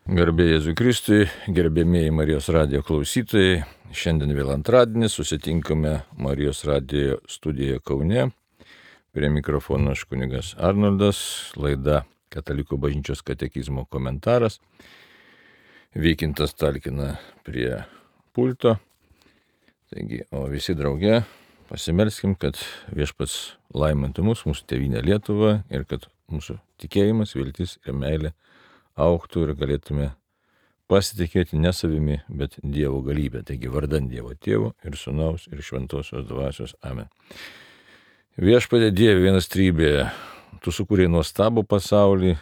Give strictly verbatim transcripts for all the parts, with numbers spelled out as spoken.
Garbė Jėzui Kristui, gerbėmieji Marijos radijo klausytojai, šiandien vėl antradienis, susitinkame Marijos radijo studijoje Kaune. Prie mikrofono aš kunigas Arnoldas, laida Katalikų bažnyčios katekizmo komentaras. Vykintas talkina prie pulto. Taigi, o visi drauge pasimelskim, kad Viešpats laimintų mus, mūsų tėvynę Lietuvą ir kad mūsų tikėjimas, viltis ir meilė augtų ir galėtume pasitikėti ne savimi, bet Dievo galybę. Taigi vardan Dievo Tėvo ir Sūnaus ir Šventosios Dvasios. Amen. Viešpatie Dieve vienas trybėje, Tu sukūrei nuostabų pasaulį,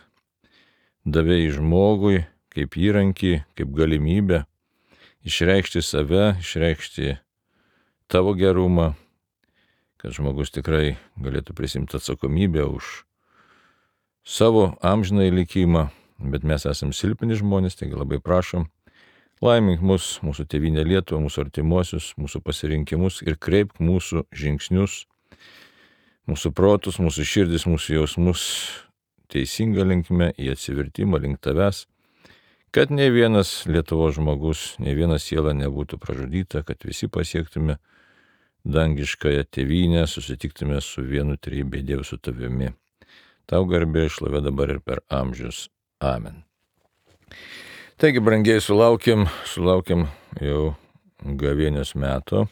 davei žmogui kaip įrankį, kaip galimybę išreikšti save, išreikšti Tavo gerumą, kad žmogus tikrai galėtų prisimti atsakomybę už savo amžinąjį likimą. Bet mes esame silpni žmonės, taigi labai prašom, laimink mus, mūsų tėvynę Lietuvą, mūsų artimuosius, mūsų pasirinkimus ir kreipk mūsų žingsnius, mūsų protus, mūsų širdis, mūsų jausmus teisingą linkme į atsivertimą link Tavęs, kad nei vienas Lietuvos žmogus, nei viena siela nebūtų pražudyta, kad visi pasiektume dangiškąją tėvynę, susitiktume su vienu trejybė Dievu su Tavimi. Tau garbė šlovė dabar ir per amžius. Amen. Taigi, brangiai, sulaukėm, sulaukėm jau gavėnios meto.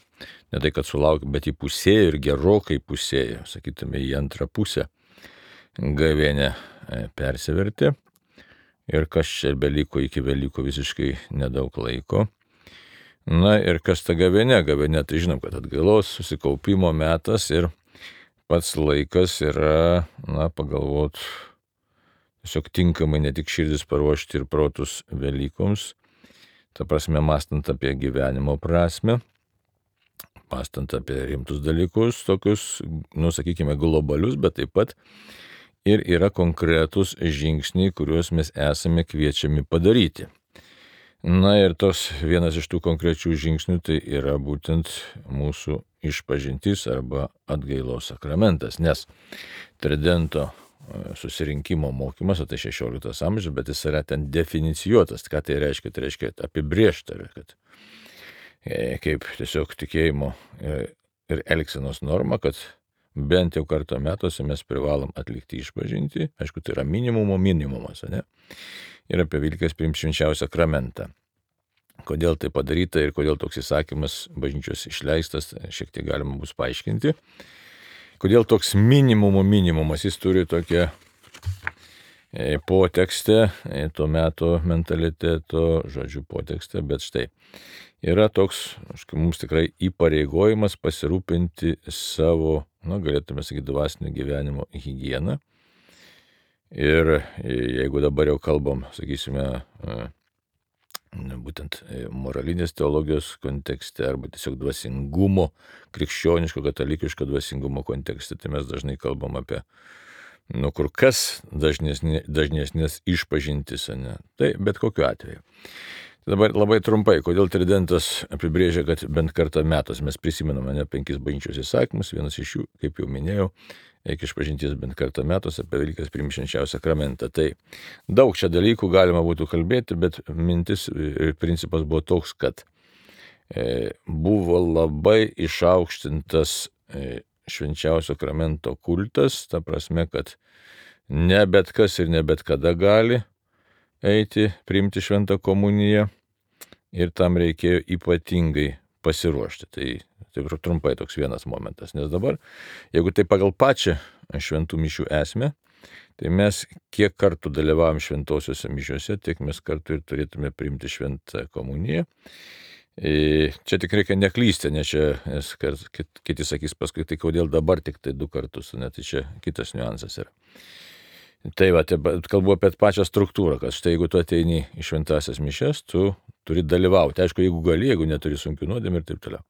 Ne tai, kad sulaukėm, bet įpusėjo ir gerokai pusėjo, sakytume, į antrą pusę gavėnė persivertė. Ir kas čia beliko iki Velykų visiškai nedaug laiko. Na ir kas ta gavėnė? Gavėnė, tai žinom, kad atgailos susikaupimo metas ir pats laikas yra, na, pagalvot, tiesiog tinkamai ne tik širdis paruošti ir protus Velykoms, ta prasme, mąstant apie gyvenimo prasme, mąstant apie rimtus dalykus, tokius, nu, sakykime, globalius, bet taip pat ir yra konkretus žingsniai, kuriuos mes esame kviečiami padaryti. Na ir tos vienas iš tų konkrečių žingsnių tai yra būtent mūsų išpažintis arba atgailos sakramentas, nes Tridento susirinkimo mokymas, o tai šešioliktas amžius, bet jis yra ten definicijuotas. Ką tai reiškia? Tai reiškia apibrėžta, kad kaip tiesiog tikėjimo ir elgsenos norma, kad bent jau kartą metuose mes privalom atlikti išpažinti. Aišku, tai yra minimumo minimumas, ne? Ir apie Velykas priimt švenčiausią sakramentą. Kodėl tai padaryta ir kodėl toks įsakymas bažnyčios išleistas, šiek tiek galima bus paaiškinti. Kodėl toks minimumo minimumas, jis turi tokią potekstę, to meto mentaliteto, žodžiu, potekstę, bet štai yra toks, aišku, mums tikrai įpareigojimas pasirūpinti savo, na, galėtume sakyti, dvasinio gyvenimo higieną. Ir jeigu dabar jau kalbam, sakysime, būtent moralinės teologijos kontekste arba tiesiog dvasingumo, krikščioniško, katalikiško dvasingumo kontekste, tai mes dažnai kalbam apie, nu, kur kas dažnesnės, dažnesnės išpažintis, ne? Tai bet kokiu atveju. Dabar labai trumpai, kodėl Tridentas apibrėžia, kad bent kartą metus mes prisimename ne penkis bažnyčios įsakymus, vienas iš jų, kaip jau minėjau, eik išpažinties bent kartą metus, apie Velykas priimt švenčiausią sakramentą. Tai daug čia dalykų galima būtų kalbėti, bet mintis ir principas buvo toks, kad e, buvo labai išaukštintas e, švenčiausio sakramento kultas, ta prasme, kad ne bet kas ir ne bet kada gali eiti, priimti šventą komuniją ir tam reikėjo ypatingai pasiruošti. Tai taip trumpai toks vienas momentas, nes dabar, jeigu tai pagal pačią šventų mišių esmę, tai mes kiek kartų dalyvavom šventosiuose mišiuose, tiek mes kartu ir turėtume priimti šventą komuniją. Čia tik reikia neklysti, nes čia, nes kiti sakys paskui, tai kodėl dabar tik tai du kartus, net tai čia kitas niuansas yra. Tai va, kalbu apie pačią struktūrą, kad štai jeigu tu ateini į šventąsias mišias, tu turi dalyvauti. Aišku, jeigu gali, jeigu neturi sunkių nuodėmių ir taip toliau.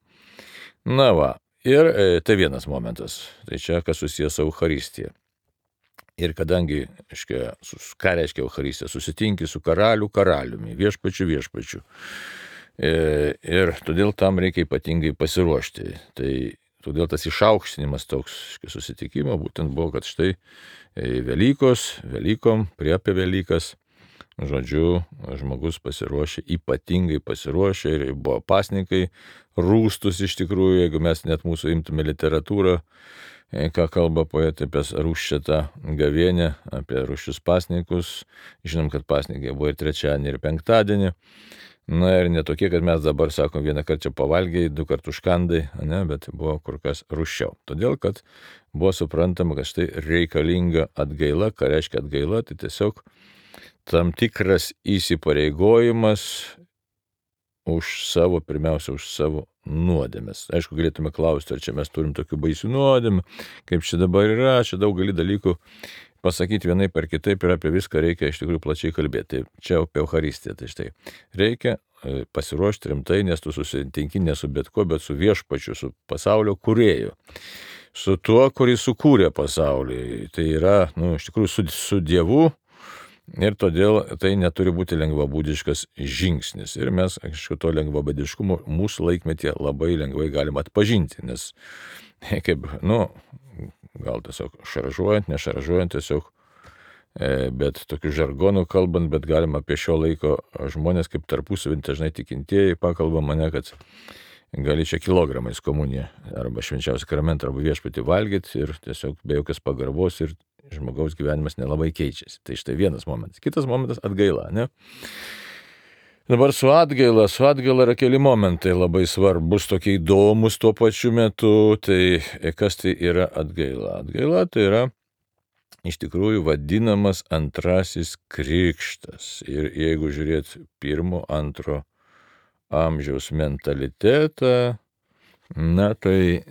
Na va, ir e, tai vienas momentas. Tai čia, kas susijęs su Eucharistija. Ir kadangi, aiškia, ką reiškia Eucharistija? Susitinki su karalių karaliumi, viešpačiu viešpačiu. E, ir todėl tam reikia ypatingai pasiruošti. Tai todėl tas išaukštinimas toks susitikimo būtent buvo, kad štai Velykos, Velykom, prie apie Velykas, Žodžiu, žmogus pasiruošė, ypatingai pasiruošė ir buvo pasninkai rūstus iš tikrųjų, jeigu mes net mūsų imtume literatūrą, ką kalba poetai apie rūščiatą gavienę, apie rūščius pasninkus. Žinom, kad pasninkai buvo ir trečiadienį, ir penktadienį. Na ir netokie, kad mes dabar sakom, vieną kartą čia pavalgiai, du kartus užkandai, ne, bet buvo kur kas rūščiau. Todėl, kad buvo suprantama, kad štai reikalinga atgaila. Ką reiškia atgaila? Tai tiesiog tam tikras įsipareigojimas už savo, pirmiausia, už savo nuodėmes. Aišku, galėtume klausti, ar čia mes turim tokių baisių nuodėmių, kaip čia dabar yra, čia daug gali dalykų pasakyti vienai per kitaip ir apie viską reikia iš tikrųjų plačiai kalbėti. Tai čia apie Eucharistiją. Tai štai reikia pasiruošti rimtai, nes tu susitinki ne su bet kuo, bet su viešpačiu, su pasaulio kūrėju. Su tuo, kuris sukūrė pasaulį. Tai yra, nu, iš tikrųjų su, su Dievu. Ir todėl tai neturi būti lengvabūdiškas žingsnis. Ir mes, aišku, to lengvabūdiškumo mūsų laikmetyje labai lengvai galima atpažinti, nes kaip, nu, gal tiesiog šaržuojant, nešaržuojant tiesiog, bet tokiu žargonu kalbant, bet galima apie šio laiko žmonės kaip tarpusavį dažnai tikintieji pakalba mane, kad gali čia kilogramais komuniją arba švenčiausią sakramentą arba viešpatį valgyti ir tiesiog be jokios pagarbos ir žmogaus gyvenimas nelabai keičiasi. Tai štai vienas momentas. Kitas momentas - atgaila, ne? Dabar su atgaila, su atgaila yra keli momentai labai svarbus, tokie įdomus tuo pačiu metu. Tai kas tai yra atgaila? Atgaila tai yra iš tikrųjų vadinamas antrasis krikštas. Ir jeigu žiūrėt pirmo, antro amžiaus mentalitetą, na tai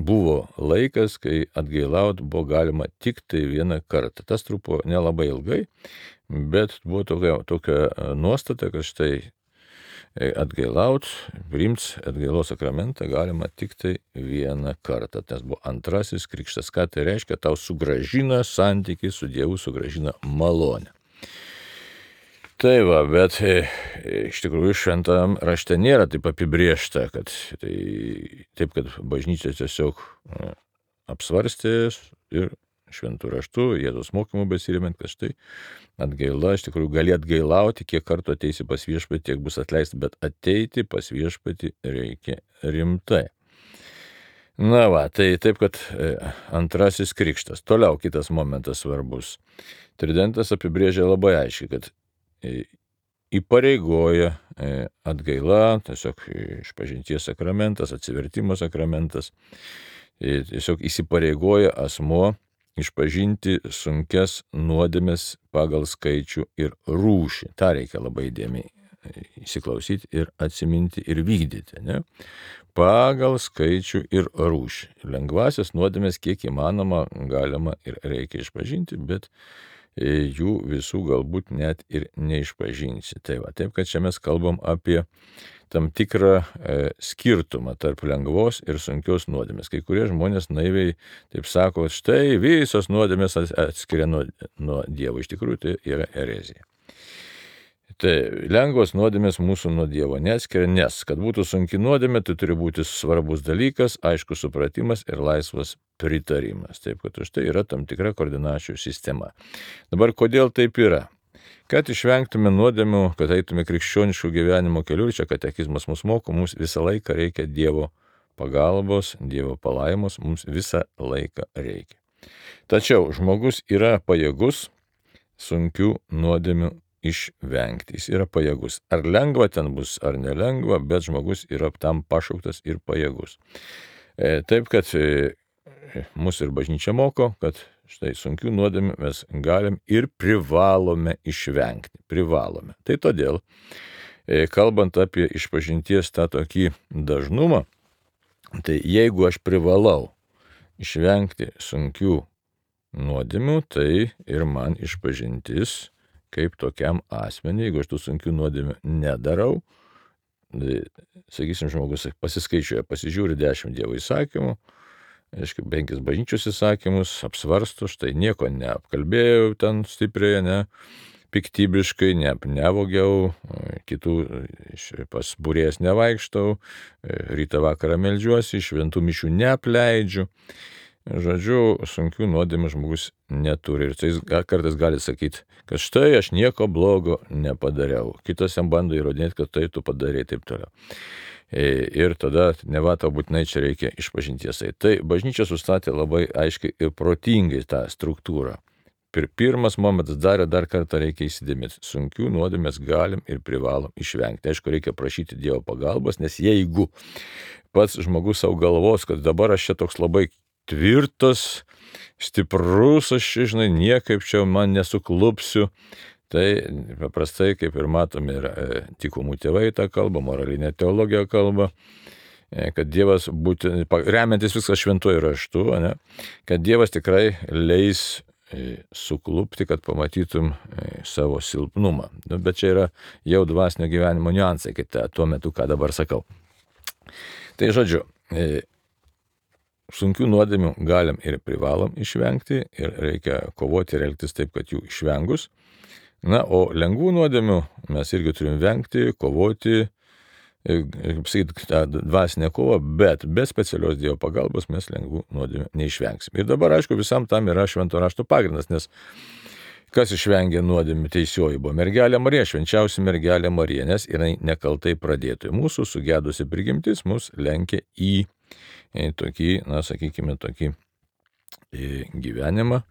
buvo laikas, kai atgailauti buvo galima tik tai vieną kartą. Tas truko nelabai ilgai, bet buvo tokia, tokia nuostata, kad štai atgailauti, priimti atgailos sakramentą galima tik tai vieną kartą. Tas buvo antrasis krikštas. Ką tai reiškia? Tau sugrąžina santykį su Dievu, sugrąžina malonę. Tai va, bet iš tikrųjų šventam rašte nėra taip apibriešta, kad tai, taip, kad bažnyčia tiesiog apsvarstė ir šventų raštų, Jėzaus mokymų besiremiant, kad štai atgaila, iš tikrųjų gali atgailauti, kiek kartų ateisi pas viešpatį, tiek bus atleista, bet ateiti pas viešpatį reikia rimtai. Na va, tai taip, kad antrasis krikštas. Toliau kitas momentas svarbus. Tridentas apibrėžia labai aiškiai, kad įpareigoja atgaila, tiesiog išpažinties sakramentas, atsivertimo sakramentas, tiesiog įsipareigoja asmuo išpažinti sunkias nuodėmes pagal skaičių ir rūšį. Ta reikia labai įdėmiai įsiklausyti ir atsiminti ir vykdyti, ne? Pagal skaičių ir rūšį. Lengvasias nuodėmes kiek įmanoma galima ir reikia išpažinti, bet jų visų galbūt net ir neišpažinsi. Tai va, taip, kad čia mes kalbam apie tam tikrą e, skirtumą tarp lengvos ir sunkios nuodėmės. Kai kurie žmonės naiviai taip sako, štai visos nuodėmės atskiria nuo, nuo Dievo. Iš tikrųjų, tai yra erezija. Tai lengvos nuodėmės mūsų nuo Dievo neatskiria, nes kad būtų sunki nuodėmė, tai turi būti svarbus dalykas, aiškus supratimas ir laisvas pritarimas. Taip, kad už tai yra tam tikra koordinačių sistema. Dabar kodėl taip yra? Kad išvengtume nuodėmių, kad eitume krikščioniškų gyvenimo keliu, čia katekizmas mus moko, mums visą laiką reikia Dievo pagalbos, Dievo palaimos, mums visą laiką reikia. Tačiau žmogus yra pajėgus sunkių nuodėmių išvengti. Jis yra pajėgus. Ar lengva ten bus, ar nelengva, bet žmogus yra tam pašauktas ir pajėgus. E, taip, kad e, mūsų ir bažnyčia moko, kad štai sunkių nuodėmių mes galim ir privalome išvengti. Privalome. Tai todėl, e, kalbant apie išpažinties tą tokį dažnumą, tai jeigu aš privalau išvengti sunkių nuodėmių, tai ir man išpažintis kaip tokiam asmeniui, jeigu aš tų sunkių nuodėmių nedarau, tai, sakysim, žmogus pasiskaičiuoja, pasižiūri dešimt Dievo įsakymų, aišku, penkis bažnyčios įsakymus, apsvarsto, štai nieko neapkalbėjau ten stipriai, ne, piktybiškai, ne, nevogiau, kitų pas būrėjas nevaikštau, rytą vakarą meldžiuosi, šventų mišių neapleidžiu. žodžiu, sunkių nuodėmių žmogus neturi. Ir tai jis kartais gali sakyti, kad štai aš nieko blogo nepadariau. Kitas jam bando įrodinėti, kad tai tu padarei taip toliau. Ir tada neva tau būtinai čia reikia išpažinties. Tai bažnyčia sustatė labai aiškiai ir protingai tą struktūrą. Ir pirmas momentas dar ir dar kartą reikia įsidėmėti. Sunkių nuodėmių mes galim ir privalom išvengti. Aišku, reikia prašyti Dievo pagalbos, nes jeigu pats žmogus savo galvos, kad dabar aš čia toks labai tvirtas, stiprus, aš, žinai, niekaip čia man nesuklupsiu, tai paprastai, kaip ir matome, ir tikomų tėvai tą kalbą, moralinė teologija kalba, kad Dievas būtent, remiantis viską šventuoju raštu, ne, kad Dievas tikrai leis suklupti, kad pamatytum savo silpnumą. Nu, bet čia yra jau dvasinio gyvenimo niuansai, kai ta, tuo metu, ką dabar sakau. Tai žodžiu, sunkių nuodėmių galim ir privalom išvengti ir reikia kovoti ir elgtis taip, kad jų išvengus. Na, o lengvų nuodėmių mes irgi turim vengti, kovoti, kaip sakyti, tą dvasinę kovą, bet be specialios Dievo pagalbos mes lengvų nuodėmių neišvengsim. Ir dabar, aišku, visam tam yra švento rašto pagrindas, nes kas išvengė nuodėmių teisioji buvo mergelė Marija, švenčiausia mergelė Marija, nes jinai nekaltai pradėtojų. Mūsų sugedusi prigimtis mus lenkia į, į tokį, na, sakykime, tokį gyvenimą,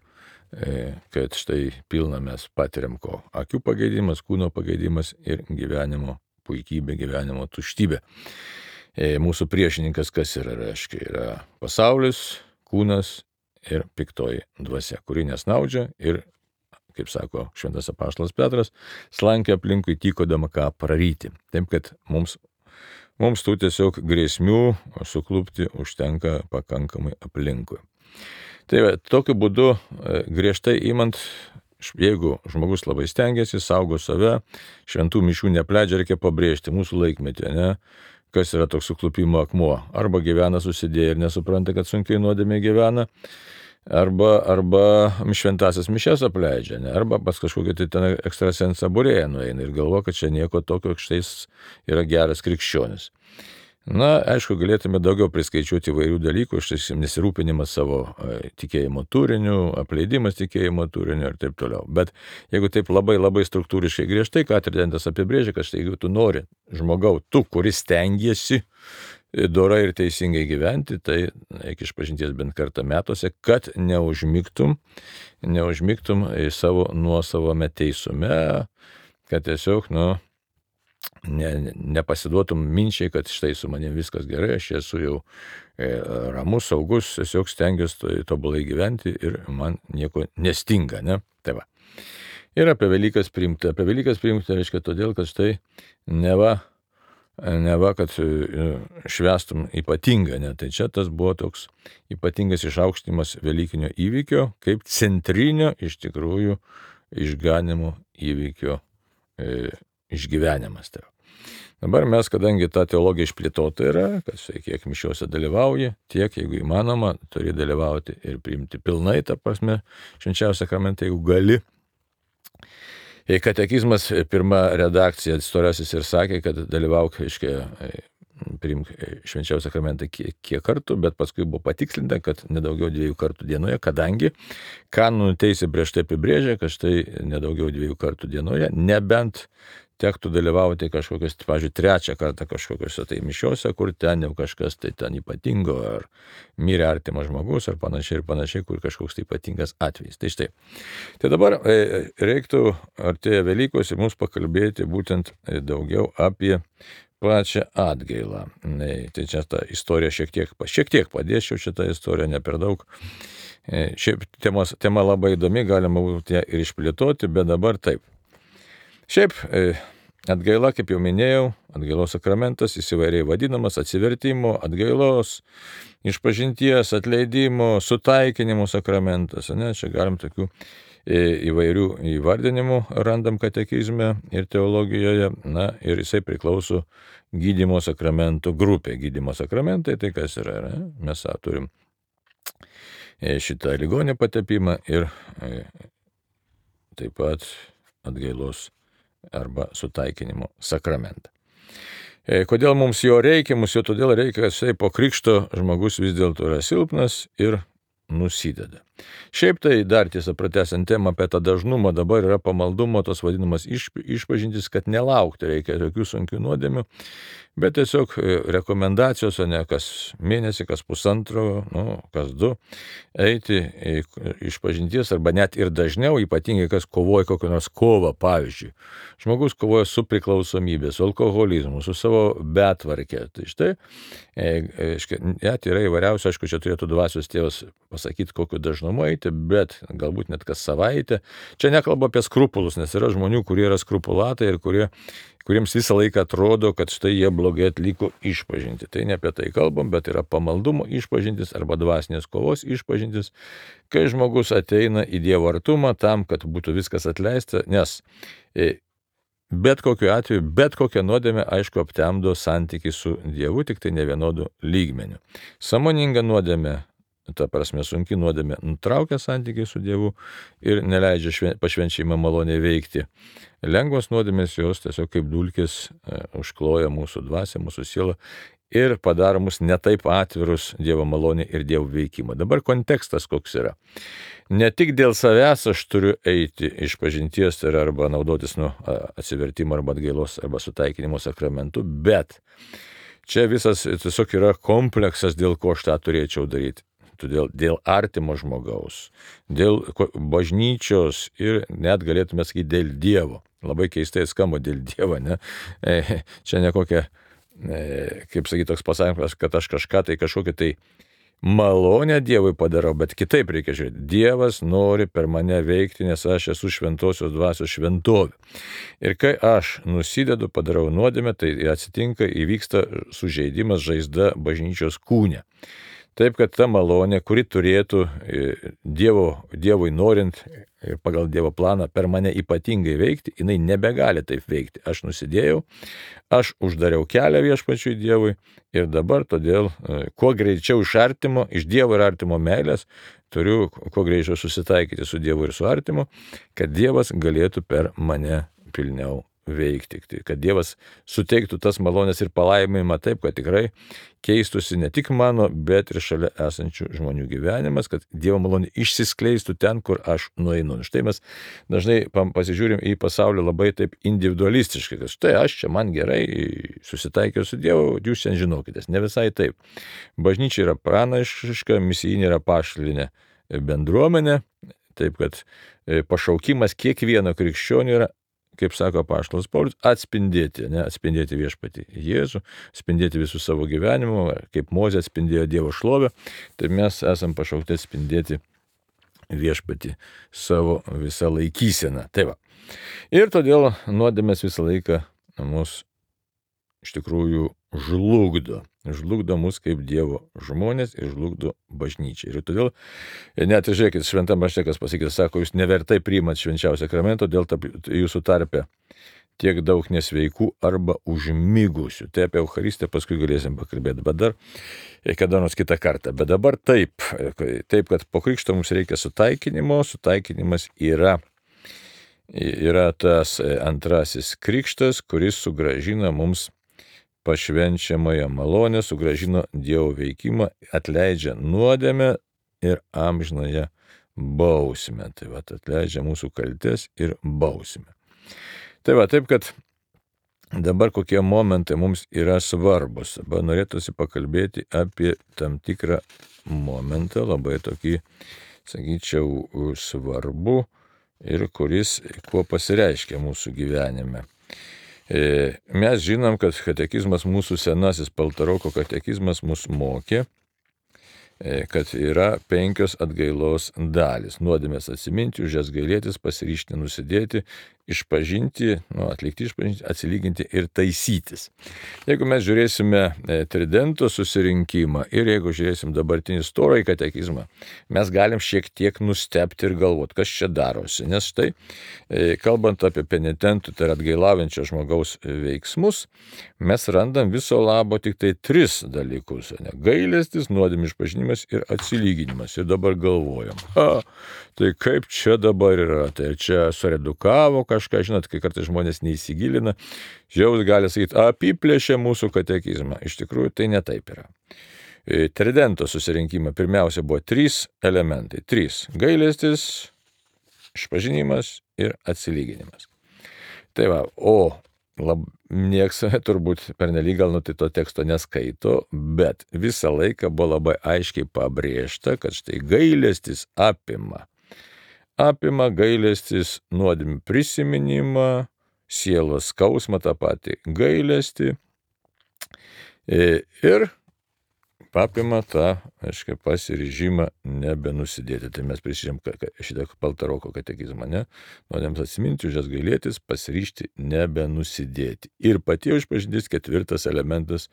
kad štai pilna mes patiriam ko. Akių pageidimas, kūno pageidimas ir gyvenimo puikybė, gyvenimo tuštybė. Mūsų priešininkas kas yra, reiškia, yra pasaulis, kūnas ir piktoji dvasia, kuri nesnaudžia ir, kaip sako šventas apaštalas Petras, slankia aplinkui tykodama ką praryti. Taip, kad mums, mums tų tiesiog grėsmių suklupti užtenka pakankamai aplinkui. Tai va, tokiu būdu griežtai imant, jeigu žmogus labai stengiasi, saugo save, šventų mišių nepleidžia, reikia pabrėžti mūsų laikmetį, ne? Kas yra toks suklupimo akmuo. Arba gyvena susidėję ir nesupranta, kad sunkiai nuodėmė gyvena, arba, arba šventasias mišias apleidžia, ne? Arba pas kažkokį tai ten ekstrasensą būrėją nueina ir galvo, kad čia nieko tokio, štai yra geras krikščionis. Na, aišku, galėtume daugiau priskaičiuoti įvairių dalykų, štai nesirūpinimas savo tikėjimo turiniu, apleidimas tikėjimo turiniu ir taip toliau. Bet jeigu taip labai labai struktūriškai griežtai, ką tridentas apibrėžia, kad štai jeigu tu nori žmogau, tu, kuris stengiesi dorai ir teisingai gyventi, tai reikia išpažinties bent kartą metuose, kad neužmigtum, neužmigtum į savo nuosavame teisume, kad tiesiog, nu, Ne, nepasiduotum minčiai, kad štai su manim viskas gerai, aš esu jau e, ramus, saugus, tiesiog stengiuosi tobulai gyventi ir man nieko nestinga, ne? Tai va. Ir apie Velykas priimti. Apie Velykas priimti reiškia todėl, kad štai neva, neva kad švęstum ypatingą, ne? Tai čia tas buvo toks ypatingas išaukštimas Velykinio įvykio, kaip centrinio iš tikrųjų išganimo įvykio e, išgyvenimas. Tai. Dabar mes, kadangi ta teologija išplėtota yra, kad štai kiek mišiuose dalyvauji, tiek, jeigu įmanoma, turi dalyvauti ir priimti pilnai, ta prasme, švenčiausią sakramentą, jeigu gali. Katekizmas, pirma redakcija, storasis ir sakė, kad dalyvauk, aiškiai, priimk švenčiausią sakramentą kiek, kiek kartų, bet paskui buvo patikslinta, kad nedaugiau dviejų kartų dienoje, kadangi kanonų teisė prieš tai apibrėžia, kad štai nedaugiau dviejų kartų dienoje, nebent tektų dalyvauti kažkokios, pavyzdžiui, trečią kartą kažkokiuose tai mišiuose, kur ten jau kažkas tai ten ypatingo, ar mirė artimas žmogus, ar panašiai ir panašiai, kur kažkoks tai ypatingas atvejis. Tai štai. Tai dabar reiktų artėja Velykos ir mums pakalbėti būtent daugiau apie pačią atgailą. Tai čia ta istorija šiek tiek, šiek tiek padėčiau šitą istoriją, ne per daug. Šiaip temos, tema labai įdomi, galima būtų ją ir išplėtoti, bet dabar taip. Šiaip atgaila, kaip jau minėjau, atgailos sakramentas, jis įvairiai vadinamas atsivertimo, atgailos, išpažinties, atleidimo, sutaikinimo sakramentas. Ne? Čia galim tokių įvairių įvardinimų randam katekizme ir teologijoje. Na, ir jisai priklauso gydymo sakramentų grupė. Gydymo sakramentai, tai kas yra? Ne? Mes turim šitą ligonį patepimą ir taip pat atgailos arba sutaikinimo sakramentą. Kodėl mums jo reikia? Mums jo todėl reikia, kad štai po krikšto žmogus vis dėlto yra silpnas ir nusideda. Šiaip tai dar tiesa pratęsiant temą apie tą dažnumą, dabar yra pamaldumo tos vadinamas iš, išpažintis, kad nelaukti reikia tokių sunkių nuodėmių, bet tiesiog rekomendacijos, o ne kas mėnesį, kas pusantro, nu, kas du, eiti išpažinties arba net ir dažniau, ypatingai kas kovoja kokią nors kovą, pavyzdžiui. Žmogus kovoja su priklausomybė, su alkoholizmu, su savo betvarkė. Tai štai, net yra įvairiausių, aišku, čia turėtų dvasios tėvas pasakyti, kokiu dažnumu eiti, bet galbūt net kas savaitę. Čia nekalba apie skrupulus, nes yra žmonių, kurie yra skrupulatai ir kurie, kuriems visą laiką atrodo, kad štai jie blogai atliko išpažinti. Tai ne apie tai kalbam, bet yra pamaldumo išpažintis arba dvasinės kovos išpažintis, kai žmogus ateina į Dievo artumą tam, kad būtų viskas atleista, nes bet kokiu atveju, bet kokią nuodėmę, aišku, aptemdo santykiai su Dievu, tik tai ne vienodu lygmeniu. Sąmoninga nuodėmė, ta prasme sunki nuodėmė, nutraukia santykiai su Dievu ir neleidžia šven, pašvenčiamą malonę veikti. Lengvos nuodėmės jos tiesiog kaip dulkės e, užkloja mūsų dvasią, mūsų sielą ir padaro mus netaip atvirus Dievo malonė ir Dievo veikimą. Dabar kontekstas koks yra. Ne tik dėl savęs aš turiu eiti iš pažinties ir arba naudotis nu, atsivertimo arba atgailos arba sutaikinimo sakramentu, bet čia visas tiesiog yra kompleksas, dėl ko aš tą turėčiau daryti. Todėl dėl artimo žmogaus, dėl bažnyčios ir net galėtume sakyti dėl Dievo. Labai keistai skamba dėl Dievo, ne? E, čia ne kokia, e, kaip sakyti, toks pasakymas, kad aš kažką tai kažkokią tai malonę Dievui padarau, bet kitaip reikia žiūrėti. Dievas nori per mane veikti, nes aš esu šventosios dvasios šventovė. Ir kai aš nusidedu, padarau nuodėmę, tai atsitinka, įvyksta sužeidimas, žaizda bažnyčios kūne. Taip, kad ta malonė, kuri turėtų Dievo, Dievui norint ir pagal Dievo planą per mane ypatingai veikti, jinai nebegali taip veikti. Aš nusidėjau, aš uždariau kelią viešpačiui Dievui ir dabar todėl kuo greičiau iš artimo, iš Dievo ir artimo meilės, turiu kuo greičiau susitaikyti su Dievu ir su artimu, kad Dievas galėtų per mane pilniau veikti, kad Dievas suteiktų tas malonės ir palaiminimą taip, kad tikrai keistusi ne tik mano, bet ir šalia esančių žmonių gyvenimas, kad Dievo malonė išsiskleistų ten, kur aš nueinu. Štai mes dažnai pasižiūrim į pasaulį labai taip individualistiškai, kad štai aš čia man gerai susitaikiau su Dievu, jūs šiandien žinokitės. Ne visai taip. Bažnyčia yra pranašiška, misijinė yra pašalinė bendruomenė, taip kad pašaukimas kiekvieno krikščionio yra, kaip sako apaštalas Paulius, atspindėti, ne, atspindėti viešpatį Jėzų, atspindėti visų savo gyvenimų, kaip Mozė atspindėjo Dievo šlovę, tai mes esam pašaukti atspindėti viešpatį savo visą laikyseną. Tai va. Ir todėl nuodėmės visą laiką mus iš tikrųjų žlugdo. Žlugdo mus kaip Dievo žmonės ir žlugdo bažnyčią. Ir todėl, net žiūrėkit, šventam rašte, kas pasakys, sako, jūs nevertai priimat švenčiausią sakramento, dėl jūsų tarpe tiek daug nesveikų arba užmigusių. Tai apie Eucharistiją paskui galėsim pakalbėti, bet dar kada nors kitą kartą. Bet dabar taip, taip, kad po krikšto mums reikia sutaikinimo, sutaikinimas yra, yra tas antrasis krikštas, kuris sugrąžina mums pašvenčiamąją malonę, sugrąžino Dievo veikimą, atleidžia nuodėmę ir amžinąją bausmę. Tai va, atleidžia mūsų kaltes ir bausmę. Tai va, taip, kad dabar kokie momentai mums yra svarbus. Dabar norėtųsi pakalbėti apie tam tikrą momentą, labai tokį, sakyčiau, svarbu ir kuris kuo pasireiškia mūsų gyvenime. Mes žinom, kad katekizmas, mūsų senasis Paltaroko katekizmas mus mokė, kad yra penkios atgailos dalys. Nuodėmės atsiminti, už jas gailėtis, pasiryžti nusidėti, išpažinti, nu, atlikti išpažinti, atsilyginti ir taisytis. Jeigu mes žiūrėsime Tridento susirinkimą ir jeigu žiūrėsim dabartinį storąjį katekizmą, mes galim šiek tiek nustebti ir galvoti, kas čia darosi. Nes štai, kalbant apie penitentų, tai yra atgailaujančio žmogaus veiksmus, mes randam viso labo tik tai tris dalykus. Ne? Gailestis, nuodėmių išpažinimas ir atsilyginimas. Ir dabar galvojam, ha, tai kaip čia dabar yra? Tai čia suredukavo kažką, žinot, kai kartais žmonės neįsigilina, žiaus gali sakyti, apiplėšė mūsų katekizmą. Iš tikrųjų, tai ne taip yra. Tridento susirinkime pirmiausia buvo trys elementai. Trys - gailestis, išpažinimas ir atsilyginimas. Tai va, o lab, nieks turbūt pernelyg gal nu tai to teksto neskaito, bet visą laiką buvo labai aiškiai pabrėžta, kad štai gailestis apima. Apima gailestis nuodėmių prisiminimą, sielos skausmą, tą patį gailestį ir apima tą, aiškiai, pasiryžimą nebenusidėti. Tai mes prisižym šitą Paltaroko katekizmą, ne? Nuodėms atsiminti, už jas gailėtis, pasiryžti nebenusidėti. Ir pati išpažintis ketvirtas elementas,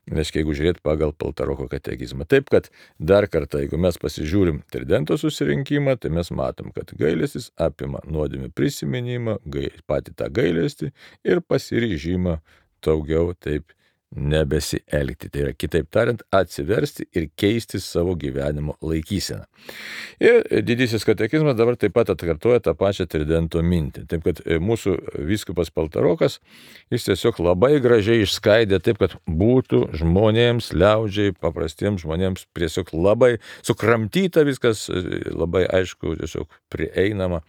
reiškia, jeigu žiūrėt pagal Paltaroko katekizmą. Taip, kad dar kartą, jeigu mes pasižiūrim Tridento susirinkimą, tai mes matom, kad gailestis apima nuodėmių prisiminimą, patį tą gailestį ir pasiryžimą daugiau taip nebesielgti. Tai yra, kitaip tariant, atsiversti ir keisti savo gyvenimo laikyseną. Ir didysis katekizmas dabar taip pat atkartoja tą pačią Tridento mintį. Taip, kad mūsų vyskupas Paltarokas, jis tiesiog labai gražiai išskaidė taip, kad būtų žmonėms, liaudžiai, paprastiems žmonėms tiesiog labai sukramtyta viskas, labai aišku, tiesiog prieinama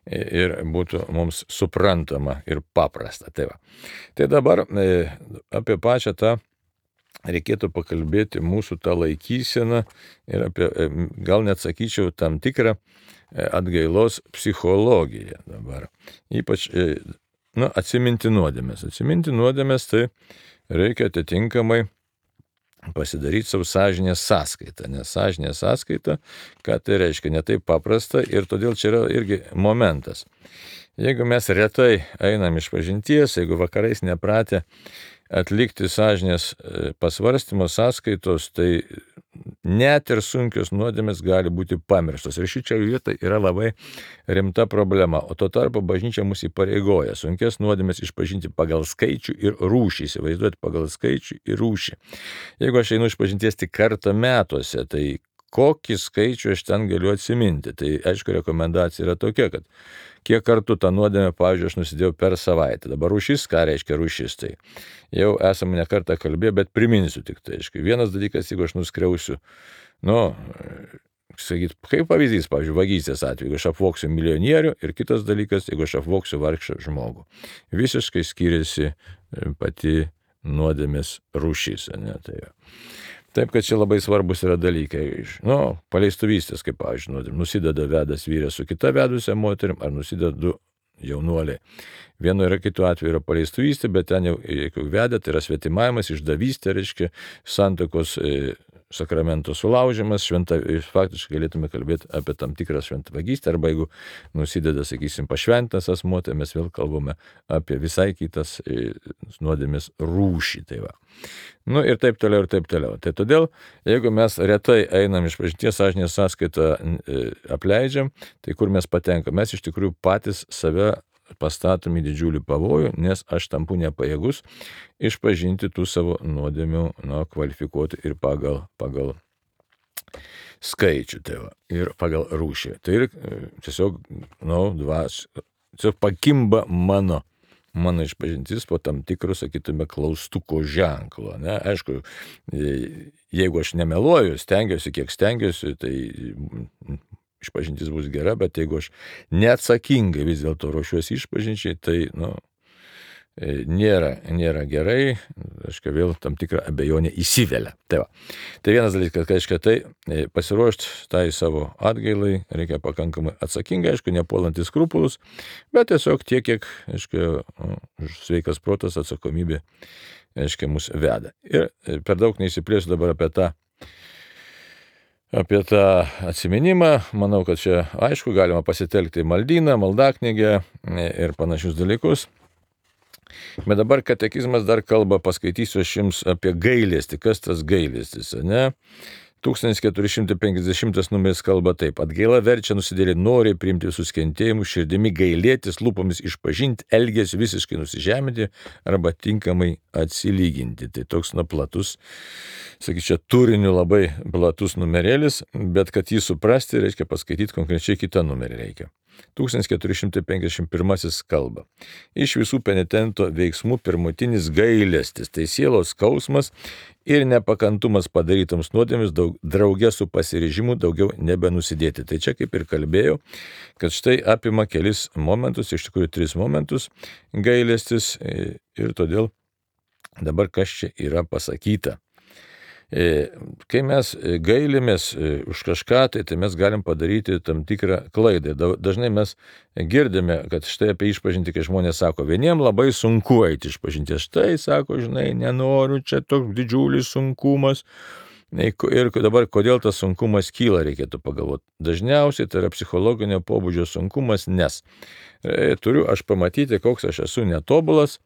ir būtų mums suprantama ir paprasta. Tai, va. Tai dabar apie pačią tą reikėtų pakalbėti mūsų tą laikyseną ir apie, gal net sakyčiau, tam tikrą atgailos psichologiją dabar. Ypač, nu, atsiminti nuodėmės. Atsiminti nuodėmės, tai reikia atitinkamai pasidaryti savo sąžinės sąskaitą, nes sąžinės sąskaita, ką tai reiškia, ne taip paprasta ir todėl čia yra irgi momentas. Jeigu mes retai einam iš pažinties, jeigu vakarais nepratę atlikti sąžinės pasvarstymo sąskaitos, tai net ir sunkios nuodėmės gali būti pamirštos. Ir šičia vieta yra labai rimta problema. O tuo tarpu bažnyčia mus įpareigoja sunkias nuodėmės išpažinti pagal skaičių ir rūšį. Įsivaizduoti pagal skaičių ir rūšį. Jeigu aš einu išpažinties tik kartą metuose, tai kokį skaičių aš ten galiu atsiminti. Tai aišku, rekomendacija yra tokia, kad kiek kartų tą nuodėmę, pavyzdžiui, aš nusidėjau per savaitę. Dabar rūšis, ką reiškia rūšis, tai jau esame ne kartą kalbėję, bet priminsiu tik tai. Aišku, vienas dalykas, jeigu aš nuskriausiu, nu, sakyt, kaip pavyzdys, pavyzdžiui, vagystės atveju, jeigu aš apvoksiu milijonierių, ir kitas dalykas, jeigu aš apvoksiu vargšą žmogų. Visiškai skiriasi pati nuodėmės rūšis, ne, tai jau. Taip, kad čia labai svarbus yra dalykai. Nu, paleistuvystės, kaip, pavyzdžiui, nusideda vedas vyras su kita vedusia moterim, ar nusideda du jaunuoliai. Vienu yra kitu atveju yra paleistuvystė, bet ten jau, jeigu veda, tai yra svetimavimas, išdavystė, reiškia, santuokos sakramento sulaužimas, šventa, faktiškai galėtume kalbėti apie tam tikrą šventvagystę, arba jeigu nusideda, sakysim, pašventas asmuo, tai mes vėl kalbame apie visai kitas nuodėmės rūšį. Tai va. Nu ir taip toliau, ir taip toliau. Tai todėl, jeigu mes retai einam iš pažinties sąžinės sąskaitą apleidžiam, tai kur mes patenkam? Mes iš tikrųjų patys save pastatom į didžiulį pavojų, nes aš tampu nepajėgus išpažinti tų savo nuodėmių, nu, kvalifikuoti ir pagal, pagal skaičių, tai va, ir pagal rūšį. Tai ir tiesiog, nu, dvas, tiesiog pakimba mano, mano išpažintis po tam tikrų, sakytume, klaustuko ženklo. Ne? Aišku, jeigu aš nemeluoju, stengiuosi, kiek stengiuosi, tai išpažintis bus gera, bet jeigu aš neatsakingai vis dėlto ruošiuosi išpažinčiai, tai, nu, nėra, nėra gerai, aišku, vėl tam tikrą abejonę įsivelia. Tai va. Tai vienas dalykas, kad, aišku, tai pasiruošti tai savo atgailai reikia pakankamai atsakingai, aišku, nepuolant į skrupulus, bet tiesiog tiek, kiek, aišku, nu, sveikas protas, atsakomybė, aišku, mus veda. Ir per daug neįsiplėsiu dabar apie tą Apie tą atsiminimą, manau, kad čia aišku, galima pasitelkti maldyną, maldaknygę ir panašius dalykus. Bet dabar katekizmas dar kalba, paskaitysiu aš jums apie gailestį. Kas tas gailestis, ne? tūkstantis keturi šimtai penkiasdešimtas numeris kalba taip. Atgaila verčia nusidėlį noriai priimti visus kentėjimus, širdimi gailėtis, lūpomis išpažinti, elgesiu visiškai nusižeminti arba tinkamai atsilyginti. Tai toks, na, platus, sakyčiau, turiniu labai platus numerėlis, bet kad jį suprasti, reikia paskaityti konkrečiai kitą numerį reikia. tūkstantis keturi šimtai penkiasdešimt pirmasis kalba. Iš visų penitento veiksmų pirmutinis gailestis, tai sielos skausmas ir nepakantumas padarytoms nuodėmėms drauge su pasiryžimu daugiau nebenusidėti. Tai čia kaip ir kalbėjau, kad štai apima kelis momentus, iš tikrųjų tris momentus gailestis ir todėl dabar kas čia yra pasakyta. Kai mes gailimės už kažką, tai, tai mes galim padaryti tam tikrą klaidą. Dažnai mes girdime, kad štai apie išpažintį, kai žmonės sako, vieniem labai sunku eiti išpažinties. Štai, sako, žinai, nenoriu, čia toks didžiulis sunkumas. Ir dabar, kodėl tas sunkumas kyla, reikėtų pagalvoti. Dažniausiai tai yra psichologinio pobūdžio sunkumas, nes turiu aš pamatyti, koks aš esu netobulas,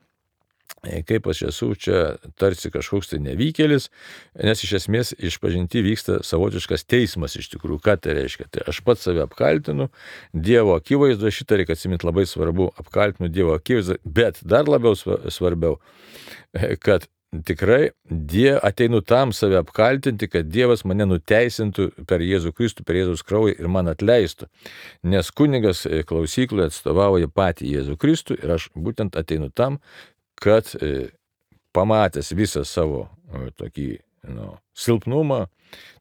kaip aš esu čia tarsi kažkoks tai nevykėlis, nes iš esmės išpažinti vyksta savotiškas teismas iš tikrųjų. Ką tai reiškia? Tai aš pats save apkaltinu, Dievo akivaizdu, šitą reikia atsiminti labai svarbu, apkaltinu Dievo akivaizdu, bet dar labiau svarbiau, kad tikrai die, ateinu tam save apkaltinti, kad Dievas mane nuteisintų per Jėzų Kristų, per Jėzaus kraują ir man atleistų. Nes kunigas klausykloje atstovauja patį Jėzų Kristų ir aš būtent ateinu tam, kad pamatęs visą savo tokį nu, silpnumą,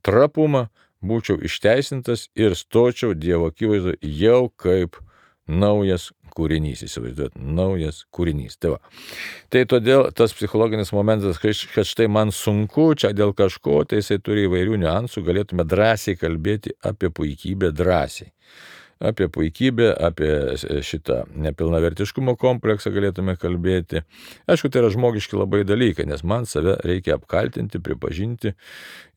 trapumą, būčiau išteisintas ir stočiau Dievo akivaizdu jau kaip naujas kūrinys, įsivaizduot, naujas kūrinys. Tai, va. Tai todėl tas psichologinis momentas, kad štai man sunku, čia dėl kažko, tai jisai turi įvairių niuansų, galėtume drąsiai kalbėti apie puikybę drąsiai. Apie puikybę, apie šitą nepilnavertiškumo kompleksą galėtume kalbėti. Aišku, tai yra žmogiški labai dalykai, nes man save reikia apkaltinti, pripažinti.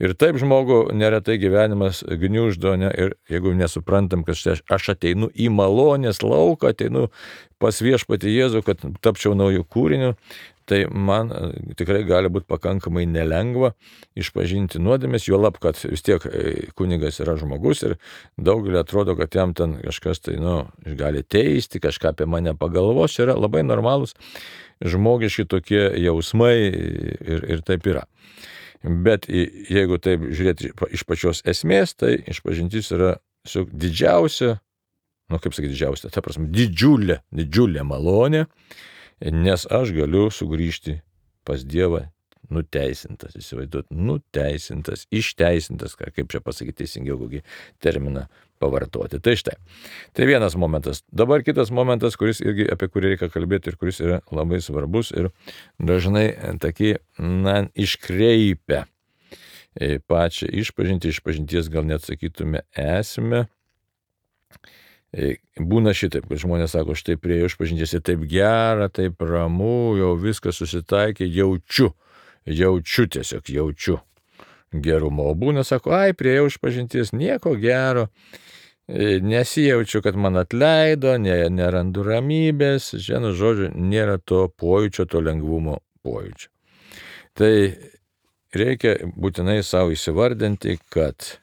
Ir taip žmogų neretai gyvenimas gniuždo, ne? Ir jeigu nesuprantam, kad štai aš ateinu į malonės lauką, ateinu pas viešpatį Jėzų, kad tapčiau naujų kūrinių, tai man tikrai gali būti pakankamai nelengva išpažinti nuodėmes, juolab, kad vis tiek kunigas yra žmogus ir daugelį atrodo, kad jam ten kažkas tai, nu, gali teisti, kažką apie mane pagalvos, čia yra labai normalūs žmogiški tokie jausmai ir, ir taip yra. Bet jeigu taip žiūrėti iš pačios esmės, tai išpažintis yra didžiausia, nu kaip sakyti didžiausia, ta prasme, didžiulė, didžiulė malonė, nes aš galiu sugrįžti pas Dievą nuteisintas, įsivaizduot, nuteisintas, išteisintas, kaip čia pasakyti teisingiau, kokį terminą pavartoti. Tai štai. Tai vienas momentas. Dabar kitas momentas, kuris irgi apie kurį reikia kalbėti ir kuris yra labai svarbus ir dažnai tokį, na, iškreipia pačią išpažintį, išpažinties gal net sakytume esmę. Būna šitaip, kad žmonės sako, štai prie išpažinties ir taip gera, taip ramu, jau viskas susitaikė, jaučiu, jaučiu tiesiog, jaučiu gerumo. O būna, sako, ai, prie išpažinties nieko gero, nesijaučiu, kad man atleido, nerandu ramybės, žinau, žodžiu, nėra to pojūčio, to lengvumo pojūčio. Tai reikia būtinai savo įsivardinti, kad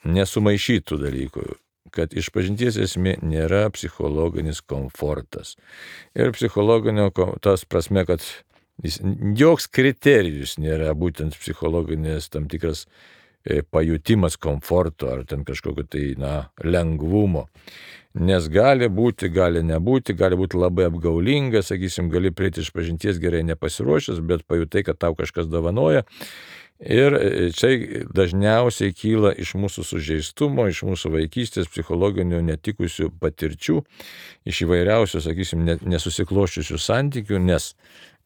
nesumaišytų dalykų, kad išpažinties esmė nėra psichologinis komfortas. Ir psichologinio, tas prasme, kad jis, joks kriterijus nėra būtent psichologinės tam tikras pajutimas komforto ar ten kažkokio tai, na, lengvumo. Nes gali būti, gali nebūti, gali būti labai apgaulinga, sakysim, gali prieiti išpažinties gerai nepasiruošęs, bet pajutai, kad tau kažkas dovanoja. Ir čia dažniausiai kyla iš mūsų sužeistumo, iš mūsų vaikystės psichologinių netikusių patirčių, iš įvairiausių, sakysim, nesusikloščiusių santykių, nes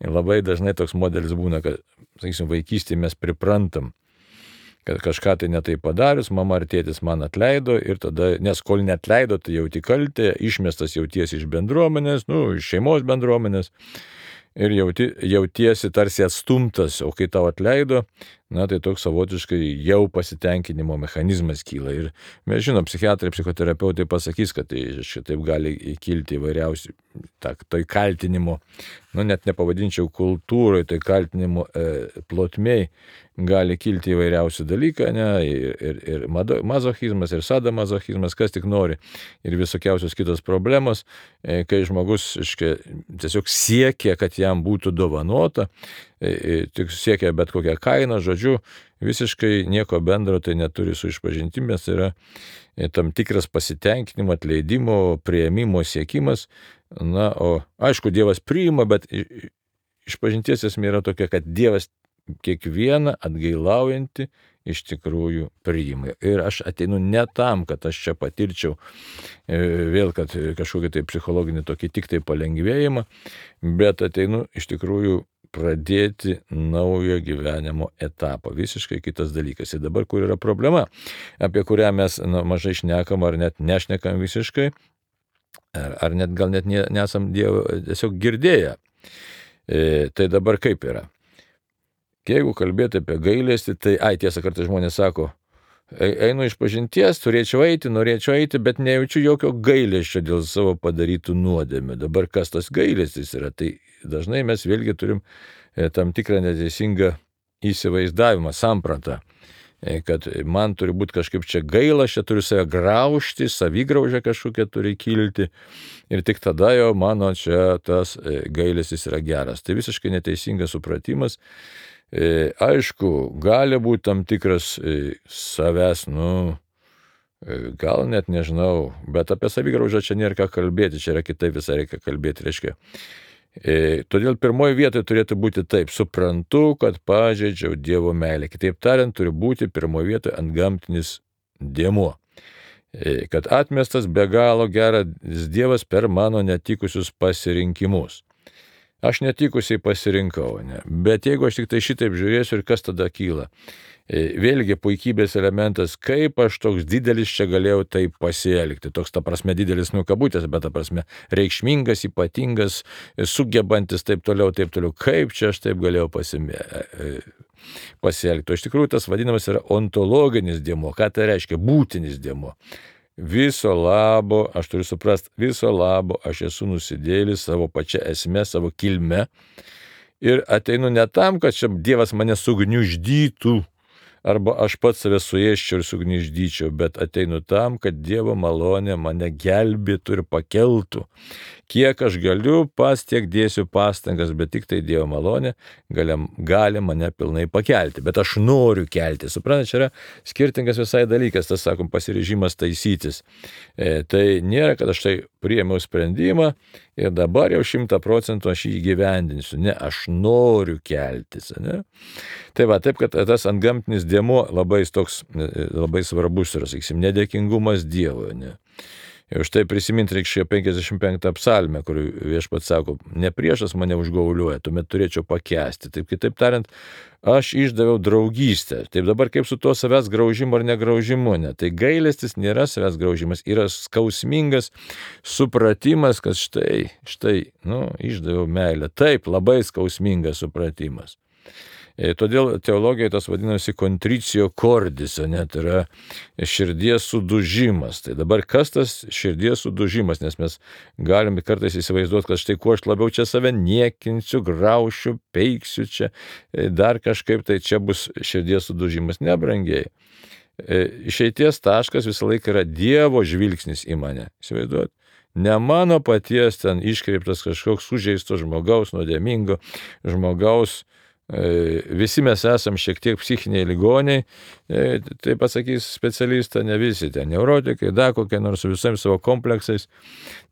labai dažnai toks modelis būna, kad, sakysim, vaikystėje mes priprantam, kad kažką tai netai padarius, mama ar tėtis man atleido ir tada, nes kol neatleido, tai jauti kaltę, išmestas jauties iš bendruomenės, nu, iš šeimos bendruomenės. Ir jauti, jautiesi tarsi atstumtas, o kai tau atleido, na tai toks savotiškai jau pasitenkinimo mechanizmas kyla. Ir mes žinom, psichiatrai, psichoterapeutai pasakys, kad tai šitaip gali kilti įvairiausių, ta, tai kaltinimo, nu net nepavadinčiau kultūrai, tai kaltinimo e, plotmei gali kilti įvairiausių dalykų, ne, ir, ir, ir mazochizmas, ir sadomazochizmas, kas tik nori, ir visokiausios kitos problemos, e, kai žmogus iškai, tiesiog siekia, kad jam būtų dovanota, tik siekia bet kokią kainą, žodžiu, visiškai nieko bendro tai neturi su išpažintimis, tai yra tam tikras pasitenkinimo, atleidimo, priėmimo siekimas. Na, o aišku, Dievas priima, bet išpažinties esmė yra tokia, kad Dievas kiekvieną atgailaujantį iš tikrųjų priima. Ir aš ateinu ne tam, kad aš čia patirčiau vėl, kad kažkokį tai psichologinį tokį tik tai palengvėjimą, bet ateinu iš tikrųjų pradėti naujo gyvenimo etapą. Visiškai kitas dalykas. Ir dabar, kur yra problema, apie kurią mes na, mažai šnekam ar net nešnekam visiškai, ar, ar net gal net nesam Dievo tiesiog girdėję. E, tai dabar kaip yra? Jeigu kalbėti apie gailestį, tai, ai, tiesą kartą žmonės sako, einu iš pažinties, turėčiau eiti, norėčiau eiti, bet nejaučiu jokio gailesčio dėl savo padarytų nuodėmių. Dabar kas tas gailestis yra? Tai dažnai mes vėlgi turim tam tikrą neteisingą įsivaizdavimą, sampratą, kad man turi būti kažkaip čia gaila, aš čia turiu save graužti, savigraužė kažkokia turi kilti ir tik tada jau mano čia tas gailestis yra geras. Tai visiškai neteisingas supratimas. E, aišku, gali būti tam tikras e, savęs, nu, e, gal net nežinau, bet apie savigraužą čia nėra ką kalbėti, čia yra kitaip visai reikia kalbėti, reiškia. E, todėl pirmoji vietoje turėtų būti taip, suprantu, kad pažeidžiau Dievo meilę. Kitaip tariant, turi būti pirmoji vietoje antgamtinis dėmuo. E, kad atmestas be galo geras Dievas per mano netikusius pasirinkimus. Aš netikusiai pasirinkau, ne? Bet jeigu aš tik tai šitaip žiūrėsiu ir kas tada kyla. Vėlgi puikybės elementas, kaip aš toks didelis čia galėjau taip pasielgti. Toks ta prasme didelis nukabutės, bet ta prasme reikšmingas, ypatingas, sugebantis taip toliau, taip toliau. Kaip čia aš taip galėjau pasimė... pasielgti. O iš tikrųjų tas vadinamas yra ontologinis dėmuo. Ką tai reiškia? Būtinis dėmuo. Viso labo, aš turiu suprasti, viso labo aš esu nusidėlis savo pačią esmę, savo kilme ir ateinu ne tam, kad čia Dievas mane sugniuždytų arba aš pats save suėsčiau ir sugniuždyčiau, bet ateinu tam, kad Dievo malonė mane gelbėtų ir pakeltų. Kiek aš galiu, pas tiek dėsiu pastangas, bet tik tai Dievo malonė gali, gali mane pilnai pakelti. Bet aš noriu kelti. Suprantate, čia yra skirtingas visai dalykas, tas, sakom, pasiryžimas taisytis. E, tai nėra, kad aš tai priėmiau sprendimą ir dabar jau šimtą procentų aš jį įgyvendinsiu. Ne, aš noriu keltis. Ne? Tai va, taip, kad tas antgamtinis dėmuo labai, toks, labai svarbus yra, sakysim, nedėkingumas Dievui. Ne? Ir štai prisiminti reikia penkiasdešimt penktą psalmę, kur viešpats sako, ne priešas mane užgauliuoja, tuomet turėčiau pakęsti. Taip, kitaip tariant, aš išdaviau draugystę. Taip dabar kaip su tuo savęs graužimu ar negraužimu, ne? Tai gailestis nėra savęs graužimas, yra skausmingas supratimas, kad štai, štai, nu, išdaviau meilę. Taip, labai skausmingas supratimas. E, todėl teologijoje tas vadinasi contricio cordis, net yra širdies sudužimas. Tai dabar kas tas širdies sudužimas, nes mes galime kartais įsivaizduoti, kad štai kuo aš labiau čia save niekinsiu, graušiu, peiksiu čia, e, dar kažkaip tai čia bus širdies sudužimas. Ne, brangiai. E, išeities taškas visą laiką yra Dievo žvilgsnis į mane. Įsivaizduoti? Ne mano paties ten iškreiptas kažkoks sužeisto žmogaus, nuodėmingo žmogaus. Visi mes esam šiek tiek psichiniai ligoniai, tai pasakys specialistą, ne visi, ten neurotikai, da kokie nors su visais savo kompleksais.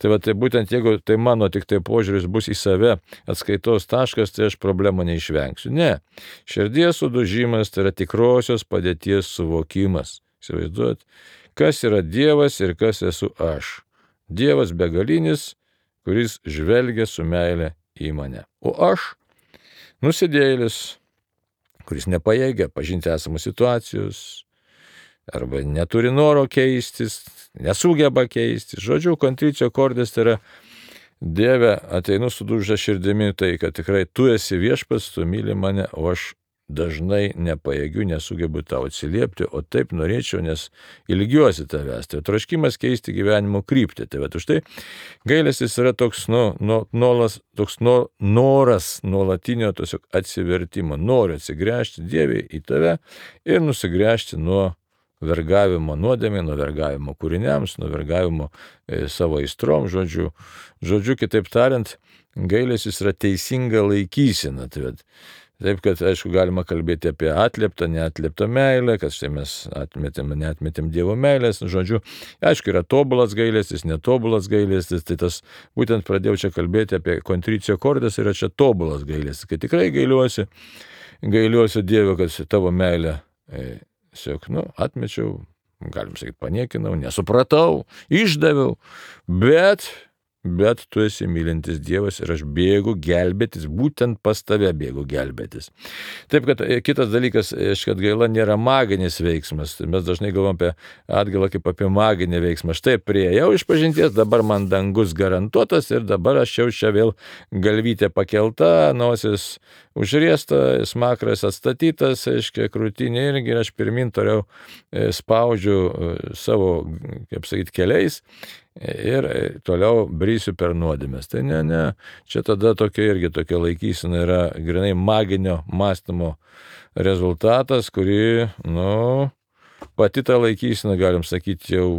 Tai, va, tai būtent jeigu tai mano tik tai požiūris bus į save atskaitos taškas, tai aš problemą neišvengsiu. Ne, širdies sudužimas tai yra tikrosios padėties suvokimas. Įsivaizduot, kas yra Dievas ir kas esu aš. Dievas begalinis, kuris žvelgia su meile į mane. O aš nusidėjėlis, kuris nepajėgia pažinti esamus situacijos, arba neturi noro keistis, nesugeba keistis. Žodžiu, contricio cordis tai yra Dieve, ateinu sudužę širdimi, tai kad tikrai tu esi viešpats, tu myli mane, o aš dažnai nepajėgiu, nesugebu tau atsiliepti, o taip norėčiau, nes ilgiuosi tavęs. Tai troškimas keisti gyvenimo kryptį. Tai va, už tai gailestis yra toks, nu, nu, nuolas, toks nu, noras nuolatinio tiesiog atsivertimo. Noriu atsigręžti Dievui į tave ir nusigręžti nuo vergavimo nuodėmė, nuo vergavimo kūriniams, nuo vergavimo e, savo aistrom, žodžiu. Žodžiu, kitaip tariant, gailestis yra teisinga laikysena. Tai, Taip, kad, aišku, galima kalbėti apie atlieptą, neatlieptą meilę, kad štai mes atmetėm, neatmetėm Dievo meilės, žodžiu, aišku, yra tobulas gailestis, netobulas gailestis, tai tas būtent pradėjau čia kalbėti apie kontricijo cordis, yra čia tobulas gailestis, kai tikrai gailiuosi, gailiuosi Dievo, kad tavo meilę, e, siog, nu, atmečiau, galim sakyti, paniekinau, nesupratau, išdaviau, bet... Bet tu esi mylintis Dievas ir aš bėgu gelbėtis, būtent pas tave bėgu gelbėtis. Taip, kad kitas dalykas, kad gaila nėra maginis veiksmas. Mes dažnai galvom apie atgailą kaip apie maginį veiksmą. Štai priejau iš pažinties, dabar man dangus garantuotas ir dabar aš jau čia vėl galvytė pakelta, nosis užriesta, smakras atstatytas, aiškiai, krūtinė irgi ir aš pirmin toliau spaudžiu savo, kaip sakyti, keliais. Ir toliau brysiu per nuodėmes. Tai ne, ne, čia tada tokia irgi tokia laikysena yra grinai maginio mąstymo rezultatas, kuri, nu, pati ta laikysena, galim sakyti, jau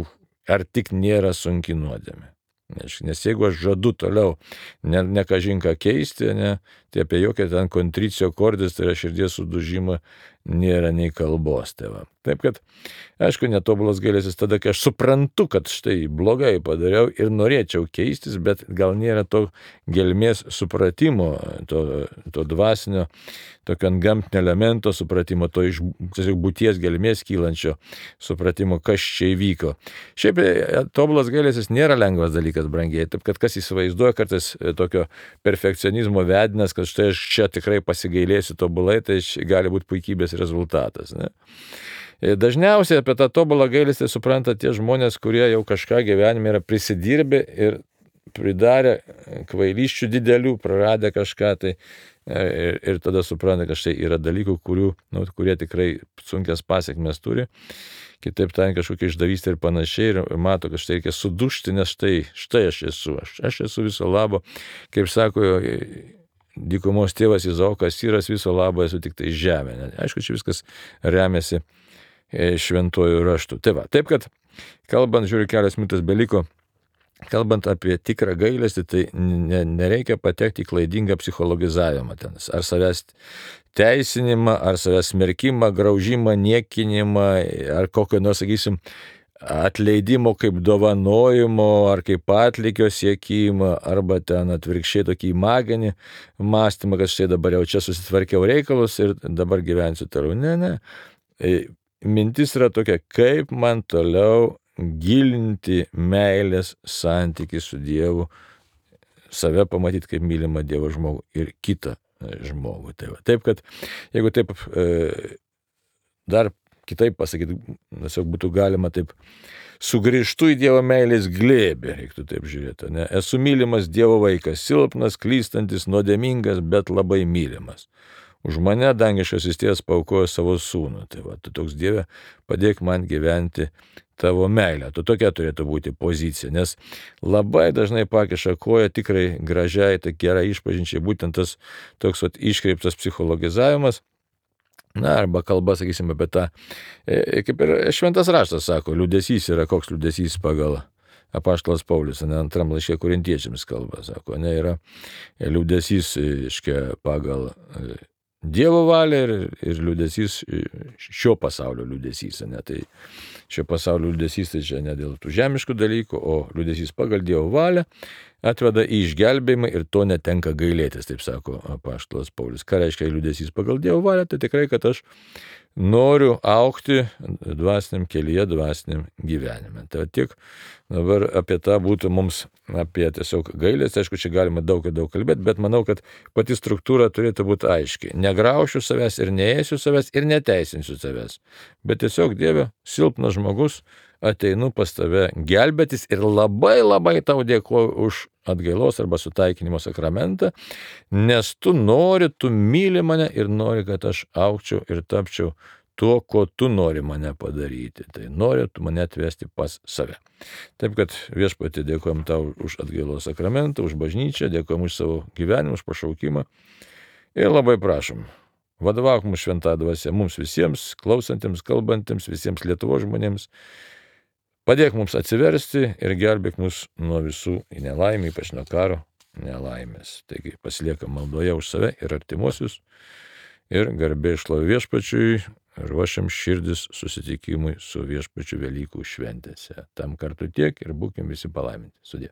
ar tik nėra sunki nuodėmė. Nes jeigu aš žadu toliau ne, ne kažinką keisti, ne, tai apie jokią ten kontricijo cordis, tai yra širdies sudužimą, nėra nei kalbos. Tai va. Taip kad, aišku, netobulas gailestis tada, kai aš suprantu, kad štai blogai padariau ir norėčiau keistis, bet gal nėra to gelmės supratimo, to, to dvasinio, tokio antgamtinio elemento supratimo, to iš būties gelmės kylančio supratimo, kas čia įvyko. Šiaip tobulas gailestis nėra lengvas dalykas, brangiai, taip kad kas įsivaizduoja kartais tokio perfekcionizmo vedinas, kad štai aš čia tikrai pasigailėsiu tobulai, tai gali būti puikybės rezultatas. Ne? Dažniausiai apie tą tobulą gailestį supranta tie žmonės, kurie jau kažką gyvenime yra prisidirbę ir pridarę kvailysčių didelių, praradę kažką, tai ir, ir tada supranta, kad štai yra dalykų, kurių, nu, kurie tikrai sunkias pasiekmes turi. Kitaip tariant, kažkokia išdavystė ir panašiai, ir mato, kad štai reikia sudužti, nes štai, štai aš esu, aš, aš esu viso labo, kaip sako dykumos tėvas Izaokas, Syras, viso labo esu tik tai žemė. Aišku, čia viskas remiasi šventojų raštų. Tai va, taip kad, kalbant, žiūriu, kelias minutės beliko, kalbant apie tikrą gailestį, tai ne, nereikia patekti į klaidingą psichologizavimą ten, ar savęs teisinimą, ar savęs smerkimą, graužimą, niekinimą, ar kokio, nu, sakysim, atleidimo kaip dovanojimo, ar kaip atlygio siekimą, arba ten atvirkščiai tokį maginį mąstymą, kad štai dabar jau čia susitvarkiau reikalus ir dabar gyvensiu toliau. Ne, ne. Mintis yra tokia, kaip man toliau gilinti meilės santykį su Dievu, save pamatyti kaip mylimą Dievo žmogų ir kitą žmogų. Tai va. Taip, kad jeigu taip e, dar kitaip pasakyti, tiesiog būtų galima taip, sugrįžtu į Dievo meilės glėbį, reiktų taip žiūrėti. Ne? Esu mylimas Dievo vaikas, silpnas, klystantis, nuodėmingas, bet labai mylimas. Už mane dangiškasis tėvas paaukojo savo sūnų. Tai va, tu toks Dieve, padėk man gyventi tavo meilę. Tu tokia turėtų būti pozicija, nes labai dažnai pakiša koją tikrai gražiai, tai gerai išpažinčiai, būtent tas toks vat, iškreiptas psichologizavimas. Na, arba kalba, sakysime, apie tą, e, kaip ir šventas raštas sako, liūdesys yra koks liūdesys pagal apaštalas Paulius, ne, antram laiške korintiečiams kalba, sako, ne, yra liūdesys, iškia, pagal Dievo valia ir, ir liūdesys, šio pasaulio liūdesys, ne, tai šio pasaulio liūdesys tai čia ne dėl tų žemiškų dalykų, o liūdesys pagal Dievo valią atveda į išgelbėjimą ir to netenka gailėtis, taip sako apaštalas Paulius. Ką reiškia liūdesys pagal Dievo valią? Tai tikrai, kad aš noriu augti dvasiniam kelyje, dvasiniam gyvenime. Tai tiek dabar apie tą būtų mums, apie tiesiog gailestį, aišku, čia galima daug ir daug kalbėti, bet manau, kad pati struktūra turėtų būti aiški. Negraušiu savęs ir neėsiu savęs ir neteisinsiu savęs. Bet tiesiog, Dieve, silpnas žmogus, ateinu pas tave gelbėtis ir labai labai tau dėkoju už atgailos arba sutaikinimo sakramentą, nes tu nori, tu myli mane ir nori, kad aš augčiau ir tapčiau tuo, ko tu nori mane padaryti. Tai nori tu mane atvesti pas save. Taip kad viešpatie dėkojom tau už atgailos sakramentą, už bažnyčią, dėkojom už savo gyvenimą, už pašaukimą ir labai prašom. Vadovauk mums šventą dvasią, mums visiems, klausantiems, kalbantiems, visiems Lietuvos žmonėms. Padėk mums atsiversti ir gelbėk mus nuo visų nelaimė, ypač nuo karo nelaimės. Taigi pasiliekam maldoje už save ir artimuosius ir garbė šlovė viešpačiui, ruošiam širdis susitikimui su viešpačiu Velykų šventėse. Tam kartu tiek ir būkim visi palaiminti. Sudie.